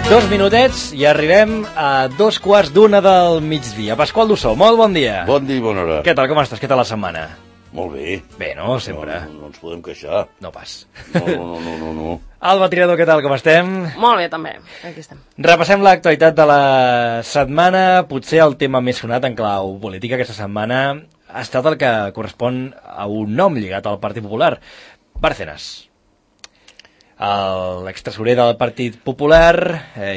2 minutets i arribem a 2:15 del migdia. Pasqual Dussó, molt bon dia. Bon dia i bona hora. Què tal, com estàs? Què tal la setmana? Molt bé. Bé, no? Sempre. No ens podem queixar. No pas. No. Alba Tirado, què tal, com estem? Molt bé, també. Aquí estem. Repassem l'actualitat de la setmana. Potser el tema més sonat en clau política aquesta setmana ha estat el que correspon a un nom lligat al Partit Popular, Bárcenas. L'extresorer del Partit Popular,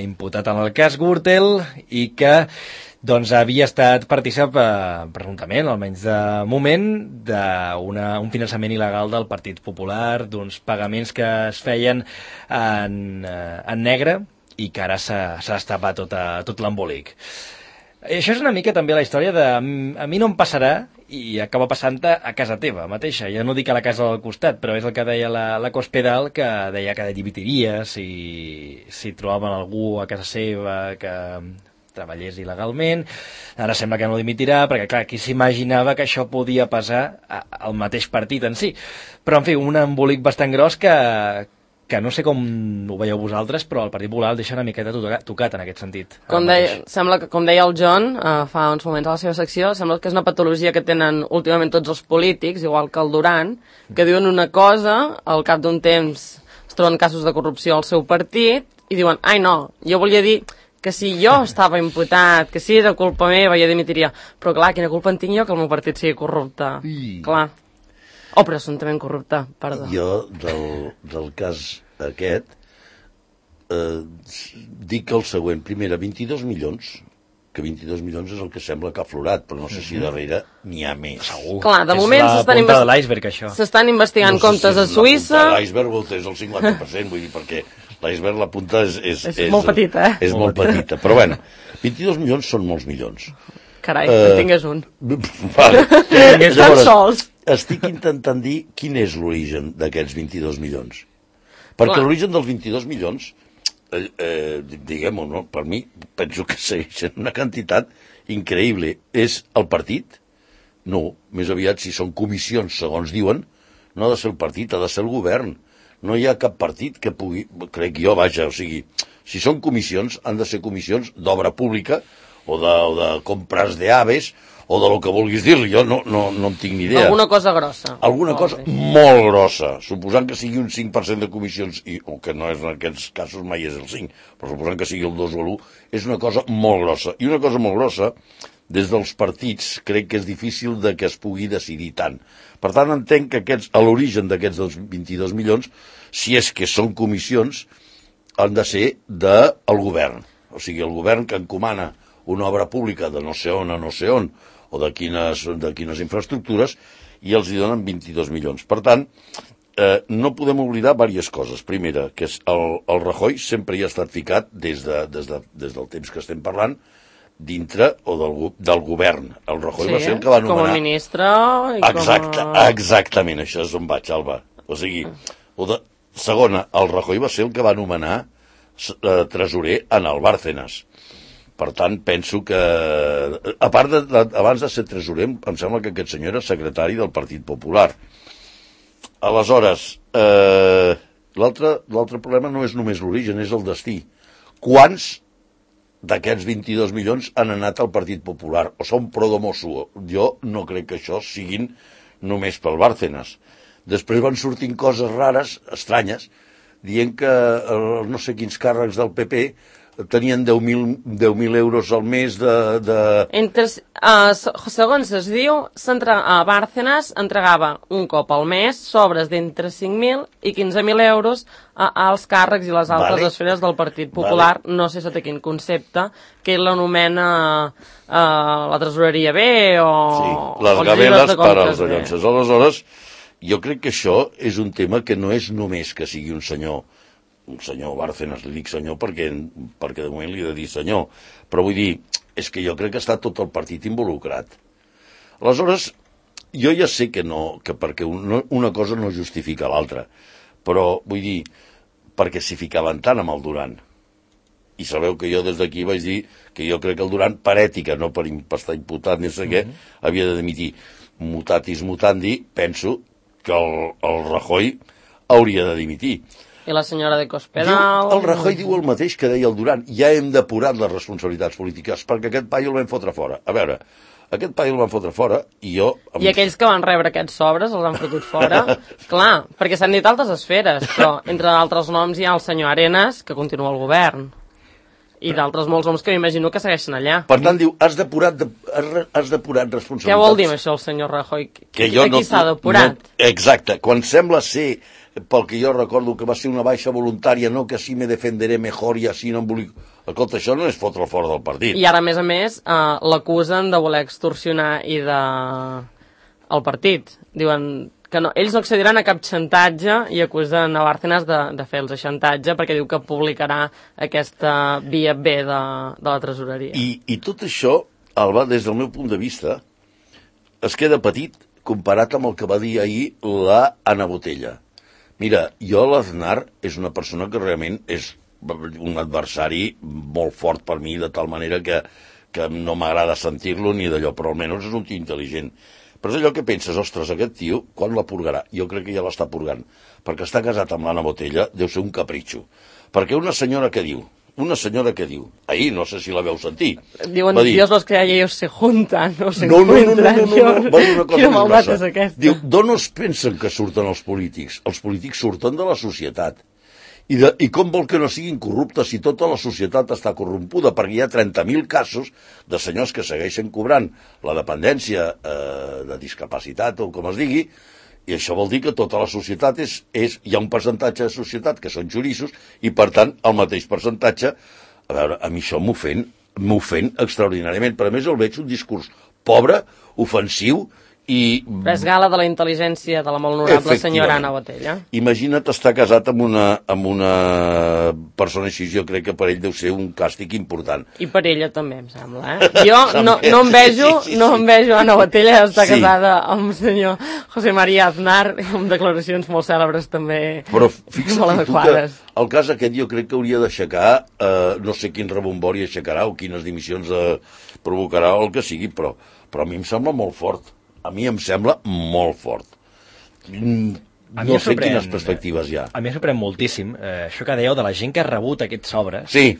imputat en el cas Gürtel, i que doncs, havia estat partícip, presumptament, almenys de moment, d'un finançament il·legal del Partit Popular, d'uns pagaments que es feien en negre i que ara s'ha destapat tot l'embolic. Això és una mica també la història de a mi no em passarà i acaba passant a casa teva mateixa. Ja no dic a la casa del costat, però és el que deia la Cospedal, que deia que dimitiria si trobaven algú a casa seva que treballés il·legalment. Ara sembla que no dimitirà, perquè clar, qui s'imaginava que això podia passar al mateix partit en si. Però, en fi, un embolic bastant gros que no sé com ho veieu vosaltres, però el Partit Popular el deixa una miqueta tocat en aquest sentit. Sembla que, com deia el John fa uns moments a la seva secció, sembla que és una patologia que tenen últimament tots els polítics, igual que el Duran, que diuen una cosa, al cap d'un temps es troben casos de corrupció al seu partit, i diuen, ai no, jo volia dir que si jo estava imputat, que si era culpa meva, jo dimitiria. Però clar, quina culpa en tinc jo que el meu partit sigui corrupte? Clar. O presumptament corrupte, perdó. Jo, del cas aquest, dic el següent. Primera, 22 milions, que 22 milions és el que sembla que ha aflorat, però no sé si darrere n'hi ha més. Segur. Clar, de moment és la punta de l'iceberg, això. S'estan investigant comptes a Suïssa. La punta de l'iceberg és el 50%, vull dir, perquè l'iceberg, la punta és molt petita, És molt petita, però bueno, 22 milions són molts milions. Carai, en tingués un. Vale. Estan sols. Estic intentant dir quin és l'origen d'aquests 22 milions. Perquè l'origen dels 22 milions, diguem-ho, no? Per mi, penso que segueixen una quantitat increïble. És el partit? No, més aviat, si són comissions, segons diuen, no ha de ser el partit, ha de ser el govern. No hi ha cap partit que pugui, crec jo, vaja, o sigui, si són comissions, han de ser comissions d'obra pública o de compres d'aves o de lo que vulguis dir-li, jo no en tinc ni idea. Alguna cosa grossa. Alguna cosa molt grossa, suposant que sigui un 5% de comissions, o que no és en aquests casos mai és el 5, però suposant que sigui el 2 o l'1, és una cosa molt grossa. I una cosa molt grossa, des dels partits, crec que és difícil de que es pugui decidir tant. Per tant, entenc que a l'origen d'aquests 22 milions, si és que són comissions, han de ser del govern. O sigui, el govern que encomana una obra pública de no sé on a no sé on, o de quines infraestructures, i els hi donen 22 milions. Per tant, no podem oblidar diverses coses. Primera, que el Rajoy sempre hi ha estat ficat des del temps que estem parlant, dintre o del govern. El Rajoy va ser el que va anomenar... Com a ministre i Exactament, això és on vaig, Alba. O sigui, segona, el Rajoy va ser el que va anomenar tresorer en el Bárcenas. Per tant, penso que... A part abans de ser tresorer, em sembla que aquest senyor era secretari del Partit Popular. Aleshores, l'altre problema no és només l'origen, és el destí. Quants d'aquests 22 milions han anat al Partit Popular? O són pro domosu? Jo no crec que això siguin només pel Bárcenas. Després van sortint coses rares, estranyes, dient que no sé quins càrrecs del PP tenien 10.000 euros al mes segons es diu, Bárcenas entregava un cop al mes sobres d'entre 5.000 i 15.000 euros als càrrecs i les altres esferes del Partit Popular. No sé sota quin concepte, que ell l'anomena la tresoreria B o... Sí, les gabeles per als allonces. Aleshores, jo crec que això és un tema que no és només que sigui un senyor Bárcenas, li dic senyor perquè de moment li he de dir senyor, però vull dir, és que jo crec que està tot el partit involucrat. Aleshores, jo ja sé que perquè una cosa no justifica l'altra, però vull dir, perquè s'hi ficaven tant amb el Duran. I sabeu que jo des d'aquí vaig dir que jo crec que el Duran, per ètica, no per estar imputat ni sé què, havia de dimitir. Mutatis mutandi, penso que el Rajoy hauria de dimitir. I la senyora de Cospedal... El Rajoy diu el mateix que deia el Duran. Ja hem depurat les responsabilitats polítiques perquè aquest paio el vam fotre fora. A veure, aquest paio el van fotre fora i jo... I aquells que van rebre aquests sobres els han fotut fora? Clar, perquè s'han dit altres esferes, però entre altres noms hi ha el senyor Arenas, que continua al govern. I d'altres molts noms que m'imagino que segueixen allà. Per tant, diu, has depurat responsabilitats. Què vol dir això el senyor Rajoy? Que jo Aquí s'ha depurat. Exacte, quan sembla ser, pel que jo recordo, que va ser una baixa voluntària, no que així me defenderé mejor i així no em vull... Escolta, això no és fotre fora del partit. I ara, a més, l'acusen de voler extorsionar i de... el partit. Diuen que no, ells no accediran a cap xantatge i acusen a Bárcenas de fer-los xantatge perquè diu que publicarà aquesta via B de la tresoreria. I tot això, Alba, des del meu punt de vista, es queda petit comparat amb el que va dir ahir la Ana Botella. Mira, jo l'Aznar és una persona que realment és un adversari molt fort per mi, de tal manera que no m'agrada sentir-lo ni d'allò, però almenys és un tio intel·ligent. Però és allò que penses, ostres, aquest tio, quan la purgarà? Jo crec que ja l'està purgant, perquè està casat amb l'Anna Botella, deu ser un capritxo. Perquè una senyora que diu, ahir no sé si la veu sentir. Diuen, Dios los crea y ellos se juntan, no se encuentran. No. Va dir una cosa Quina maldat és aquesta. Diu, d'on es pensen que surten els polítics? Els polítics surten de la societat. I com vol que no siguin corruptes si tota la societat està corrompuda? Perquè hi ha 30.000 casos de senyors que segueixen cobrant la dependència de discapacitat o com es digui, i això vol dir que tota la societat hi ha un percentatge de societat que són xoriços i, per tant, el mateix percentatge... A veure, a mi això m'ofèn extraordinàriament. Però, a més, el veig un discurs pobre, ofensiu i... Però és gala de la intel·ligència de la molt honorable senyora Ana Botella. Imagina't estar casat amb una persona així, jo crec que per ell deu ser un càstig important. I per ella també, em sembla, Jo no envejo Ana Botella estar casada amb el senyor José María Aznar, amb declaracions molt cèlebres també. Però fixa't tu que el cas aquest jo crec que hauria d'aixecar, no sé quin rebombori aixecarà o quines dimissions provocarà o el que sigui, però a mi em sembla molt fort. A mi em sembla molt fort. No sé quines perspectives hi ha. A mi em sorprèn moltíssim això que dèieu de la gent que ha rebut aquests sobres. Sí.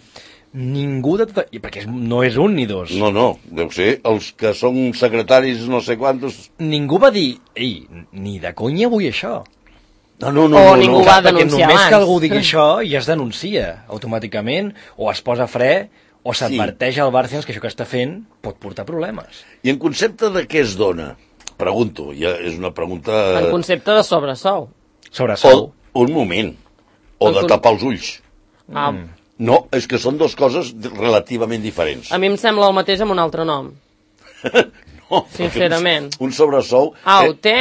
Ningú de tot... Perquè no és un ni dos. No, deu ser els que són secretaris no sé quantos... Ningú va dir, ei, ni de conya vull això. No. Ningú va denunciar només que algú digui això ja es denuncia automàticament, o es posa fre, o s'adverteix al Bárcenas que això que està fent pot portar problemes. I en concepte de què es dona? Pregunto, ja és una pregunta... En concepte de sobresou. Sobresou. Un moment. O de tapar els ulls. No, és que són dues coses relativament diferents. A mi em sembla el mateix amb un altre nom. No. Sincerament. Un sobresou... té...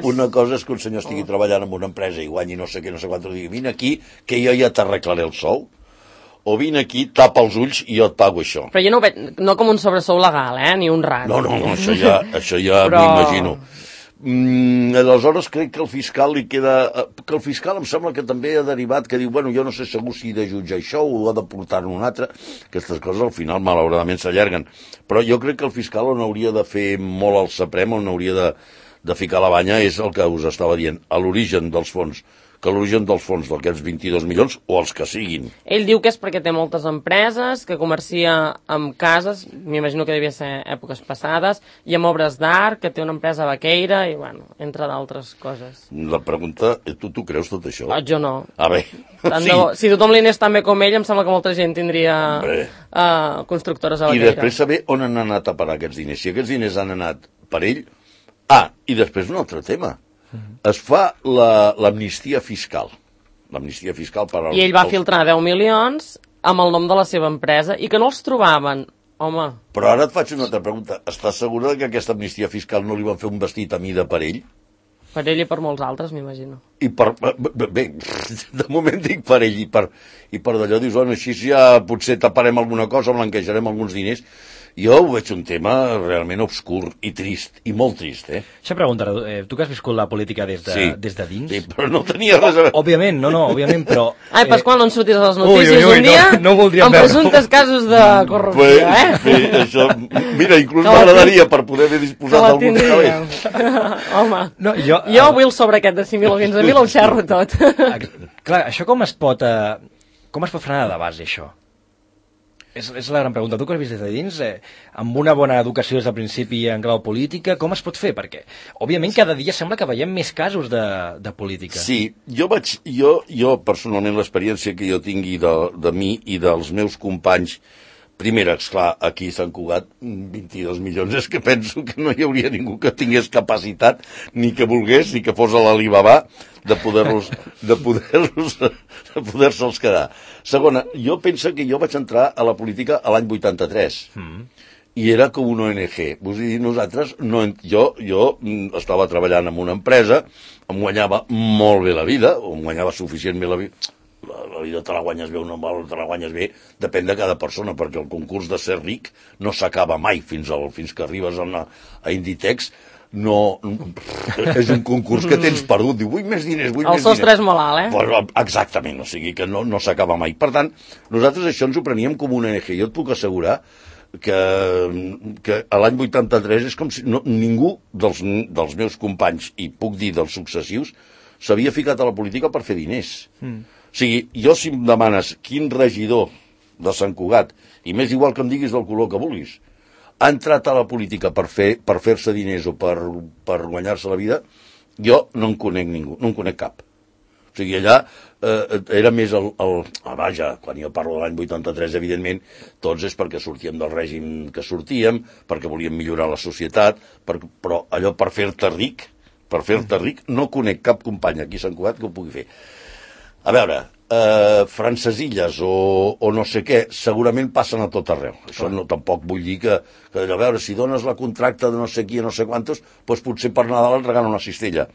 Una cosa és que un senyor estigui treballant en una empresa i guanyi no sé què, no sé quant, i digui, vine aquí que jo ja t'arreglaré el sou. O vine aquí, tapa els ulls i jo et pago això. Però jo no ho veig, no com un sobresou legal, ni un rat. No, això ja però... m'ho imagino. Aleshores crec que el fiscal li queda... Que el fiscal em sembla que també ha derivat, que diu, bueno, jo no sé segur si he de jutjar això o ha de portar-ne un altre. Aquestes coses al final malauradament s'allarguen. Però jo crec que el fiscal on hauria de fer molt el saprem, on hauria de ficar la banya, és el que us estava dient, a l'origen dels fons. Que l'origen dels fons d'aquests 22 milions o els que siguin. Ell diu que és perquè té moltes empreses, que comercia amb cases, m'imagino que devia ser èpoques passades, i amb obres d'art, que té una empresa vaqueira, i bueno, entre d'altres coses. La pregunta, tu creus tot això? Jo no. Bé. Sí. Si tothom li anés tan bé com ell, em sembla que molta gent tindria constructores a vaqueira. I després saber on han anat a parar aquests diners. Si aquests diners han anat per ell... i després un altre tema. Es fa l'amnistia fiscal. L'amnistia fiscal per als... I ell va filtrar 10 milions amb el nom de la seva empresa i que no els trobaven. Home... Però ara et faig una altra pregunta. Estàs segura que aquesta amnistia fiscal no li van fer un vestit a mida per ell? Per ell i per molts altres, m'imagino. I per... Bé, de moment dic per ell i per d'allò dius, bueno, així ja potser taparem alguna cosa, blanquejarem alguns diners. Jo ho veig un tema realment obscur i trist, i molt trist, Això pregunta, tu que has viscut la política des de dins... Sí, però no tenia res a veure. Òbviament, òbviament, però... Ai, Pasqual, no en surtis a les notícies un dia amb presumptes casos de corrupció, Això, mira, inclús m'agradaria per poder haver disposat d'algun cabell. Home, jo vull el sobre aquest de 5.000 o 15.000, el xerro tot. Clar, això com es pot frenar de base, això? És la gran pregunta. Tu que has vist des de dins, amb una bona educació des del principi en clau política, com es pot fer? Perquè, òbviament, cada dia sembla que veiem més casos de política. Sí, jo personalment, l'experiència que jo tingui de mi i dels meus companys, primera, esclar, aquí a Sant Cugat, 22 milions, és que penso que no hi hauria ningú que tingués capacitat, ni que volgués, ni que fos a l'Alibaba, de poder-se'ls quedar. Segona, jo penso que jo vaig entrar a la política a l'any 83, i era com una ONG. Vull dir, nosaltres, jo estava treballant en una empresa, em guanyava molt bé la vida, o em guanyava suficient bé la vida. La vida te la guanyes bé o no te la guanyes bé, depèn de cada persona, perquè el concurs de ser ric no s'acaba mai fins que arribes a Inditex. No, és un concurs que tens perdut, diu, vull més diners, vull més diners. El sostre és molt alt, Exactament, o sigui que no s'acaba mai. Per tant, nosaltres això ens ho preníem com una ONG. Jo et puc assegurar que a l'any 83 és com si ningú dels meus companys, i puc dir dels successius, s'havia ficat a la política per fer diners. O sigui, jo si em demanes quin regidor de Sant Cugat, i m'és igual que em diguis del color que vulguis, ha entrat a la política per fer-se diners o per guanyar-se la vida, jo no en conec ningú, no en conec cap. O sigui, allà era més vaja, quan jo parlo de l'any 83, evidentment, tots és perquè sortíem del règim que sortíem, perquè volíem millorar la societat, però allò per fer-te ric, no conec cap company aquí a Sant Cugat que ho pugui fer. A veure, francesilles o no sé què, segurament passen a tot arreu. Això no, tampoc vull dir que a veure, si dones la contracta de no sé qui a no sé quantos, doncs potser per Nadal et regalen una cistella.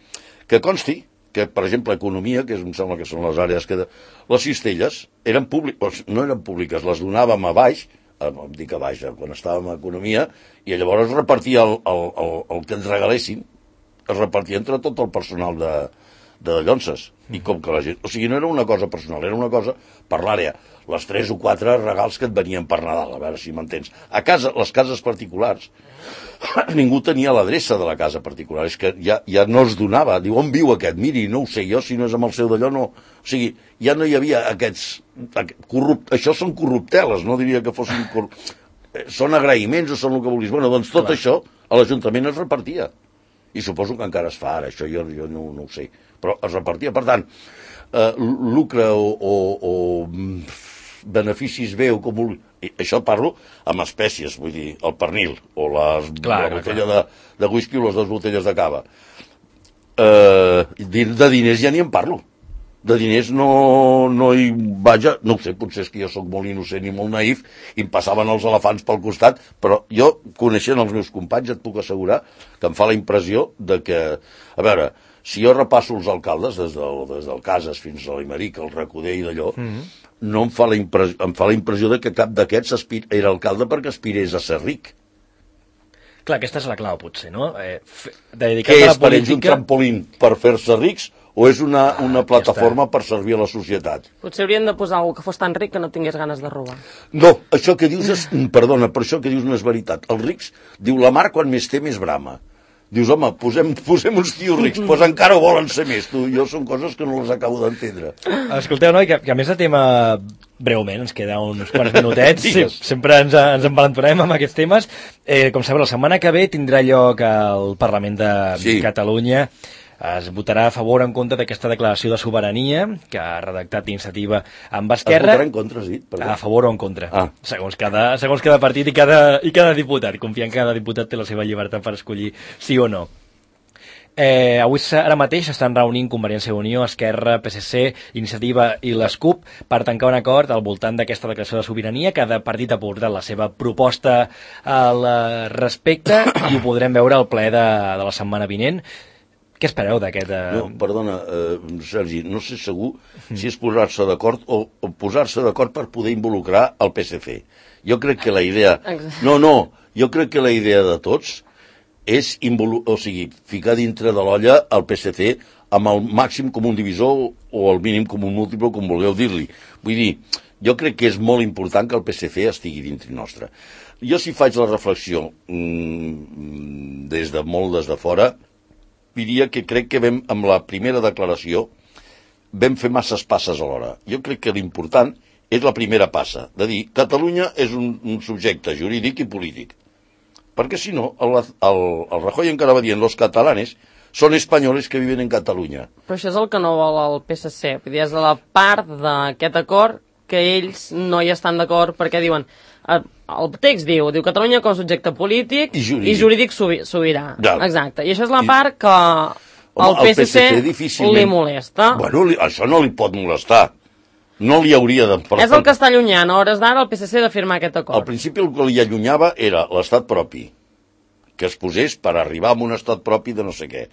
Que consti que, per exemple, economia, que em sembla que són les àrees que... Les cistelles eren públiques, no eren públiques, les donàvem a baix, dic a baix, quan estàvem a economia, i llavors es repartia el que ens regalessin, es repartia entre tot el personal de Llonses, i com que la gent... O sigui, no era una cosa personal, era una cosa per l'àrea. Les 3 o 4 regals que et venien per Nadal, a veure si m'entens. A casa, les cases particulars, ningú tenia l'adreça de la casa particular, és que ja no es donava. Diu, on viu aquest? Miri, no ho sé jo, si no és amb el seu d'allò, no... O sigui, ja no hi havia aquests... Això són corrupteles, no diria que fossin... Són agraïments o són el que vulguis. Bueno, doncs tot això a l'Ajuntament es repartia. I suposo que encara es fa ara, això jo no ho sé, però es repartia. Per tant, lucre o beneficis bé o com vulgui, això parlo amb espècies, vull dir, el pernil o la botella de whisky o les 2 botelles de cava. De diners ja ni en parlo. De diners no hi vaja, no ho sé, potser és que jo sóc molt innocent i molt naïf i em passaven els elefants pel costat, però jo, coneixent els meus companys, et puc assegurar que em fa la impressió de que, a veure, si jo repasso els alcaldes des del Casas fins a l'Imeric, el Recoder i d'allò, no em fa la impressió de que cap d'aquests era alcalde perquè aspirés a ser ric. Clar, aquesta és la clau, potser, no? Què és per ells un trampolín per fer-se rics o és una plataforma per servir a la societat? Potser haurien de posar algú que fos tan ric que no tingués ganes de robar. No, això que dius és... Perdona, però això que dius no és veritat. Els rics, diu la mar quan més té més brama. Dius, home, posem uns tios rics, doncs encara volen ser més. Jo són coses que no les acabo d'entendre. Escolteu, noi, que a més de tema, breument, ens queda uns quants minutets, sempre ens envalentonem amb aquests temes. Com sabeu, la setmana que ve tindrà lloc al Parlament de Catalunya. Es votarà a favor o en contra d'aquesta declaració de sobirania que ha redactat Iniciativa amb Esquerra. Es votarà en contra, sí? A favor o en contra. Segons cada partit i cada diputat. Confiant que cada diputat té la seva llibertat per escollir sí o no. Ara mateix estan reunint Convergència i Unió, Esquerra, PSC, Iniciativa i les CUP per tancar un acord al voltant d'aquesta declaració de sobirania. Cada partit ha portat la seva proposta al respecte i ho podrem veure al ple de la setmana vinent. Què espereu d'aquest... No, perdona, Sergi, no sé segur si és posar-se d'acord o posar-se d'acord per poder involucrar el PSC. Jo crec que la idea... Jo crec que la idea de tots és ficar dintre de l'olla el PSC amb el màxim com un divisor o el mínim com un múltiple, com vulgueu dir-li. Vull dir, jo crec que és molt important que el PSC estigui dintre nostre. Jo si faig la reflexió des de fora, diria que crec que vam, amb la primera declaració, vam fer masses passes alhora. Jo crec que l'important és la primera passa, de dir, Catalunya és un subjecte jurídic i polític. Perquè si no, el Rajoy encara va dient, los catalanes són espanyoles que viven en Catalunya. Però això és el que no vol el PSC. Vull dir, és la part d'aquest acord que ells no hi estan d'acord perquè diuen, el text diu Catalunya com a subjecte polític i jurídic sobirà. Ja. Exacte. I això és la part que el PSC li molesta. Bueno, això no li pot molestar. No li hauria de... És el que està allunyant a hores d'ara el PSC de firmar aquest acord. Al principi el que li allunyava era l'estat propi, que es posés per arribar a un estat propi de no sé què.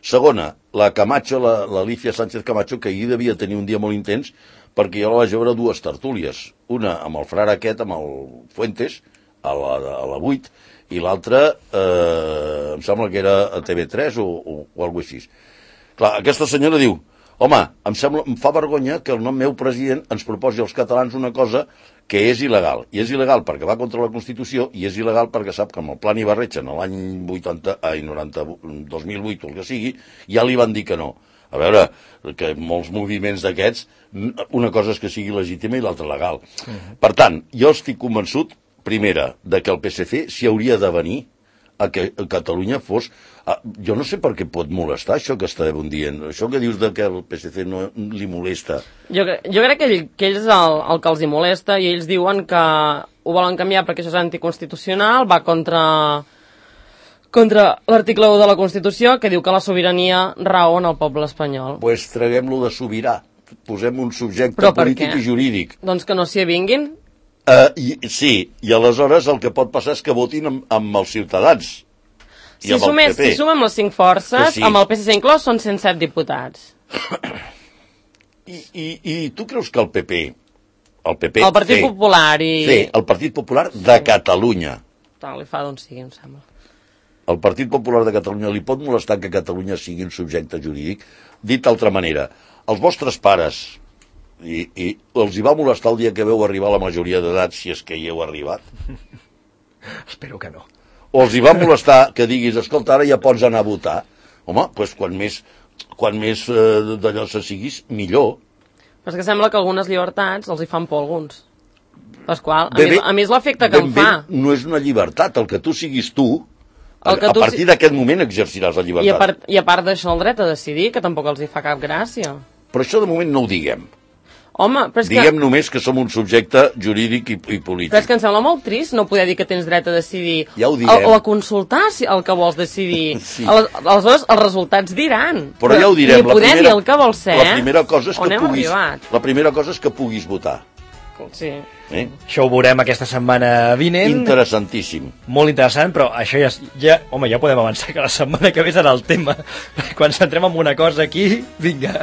Segona, la Camacho, l'Alicia Sánchez Camacho, que ahir devia tenir un dia molt intens, perquè jo la vaig veure dues tertúlies. Una amb el frare aquest, amb el Fuentes, a la 8, i l'altra, em sembla que era a TV3 o alguna cosa així. Clar, aquesta senyora diu, home, em fa vergonya que el nom meu president ens proposi als catalans una cosa que és il·legal. I és il·legal perquè va contra la Constitució i és il·legal perquè sap que amb el Plan Ibarretxe en l'any 2008 o el que sigui, ja li van dir que no. A veure, que molts moviments d'aquests, una cosa és que sigui legítima i l'altra legal. Per tant, jo estic convençut, primera, de que el PSC s'hi hauria de venir a que Catalunya fos... Jo no sé per què pot molestar això que estàvem dient. Això que dius de que el PSC no li molesta. Jo crec que ells és el que els hi molesta i ells diuen que ho volen canviar perquè això és anticonstitucional, va contra l'article 1 de la Constitució que diu que la sobirania rau en el poble espanyol. Doncs pues traguem-lo de sobirà. Posem un subjecte polític i jurídic. Doncs que no s'hi avinguin? Sí, i aleshores el que pot passar és que votin amb els ciutadans. Si sumem les 5 forces, sí. Amb el PSC inclòs són 107 diputats. I tu creus que el PP... El Partit Popular i... Sí, el Partit Popular de Catalunya. Li fa d'on sigui, em sembla. El Partit Popular de Catalunya li pot molestar que Catalunya sigui un subjecte jurídic? Dit d'altra manera, els vostres pares, i els hi va molestar el dia que veu arribar a la majoria d'edat, si és que hi heu arribat? Espero que no. O els hi va molestar que diguis, escolta, ara ja pots anar a votar? Home, doncs quan més d'allò se siguis, millor. Però és que sembla que algunes llibertats els hi fan por a alguns. Pasqual, a mi és l'efecte que em fa. No és una llibertat, el que tu siguis tu, a partir d'aquest moment exerciràs la llibertat. I a part d'això, el dret a decidir, que tampoc els hi fa cap gràcia. Però això de moment no ho diguem. Home, però és diguem només que som un subjecte jurídic i polític. Però és que em sembla molt trist no poder dir que tens dret a decidir. Ja ho diguem. O a consultar el que vols decidir. Sí. Aleshores, els resultats diran. Però ja ho direm. Ni poder dir el que vols ser, la primera cosa és que puguis votar. Sí. Això ho veurem aquesta setmana vinent. Interessantíssim. Molt interessant, però això ja podem avançar que la setmana que ve serà el tema. Quan centrem en una cosa aquí, vinga,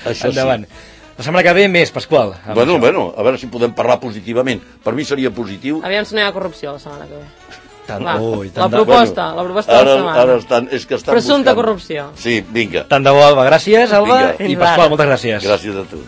això endavant. Sí. La setmana que ve més, Pasqual. Bueno, a veure si podem parlar positivament. Per mi seria positiu. Aviam si no hi ha corrupció la setmana que ve. La proposta de la setmana. Ara presumpta corrupció. Sí, vinga. Tant de bo, Alba. Gràcies, Alba. I Pasqual, moltes gràcies. Gràcies a tu.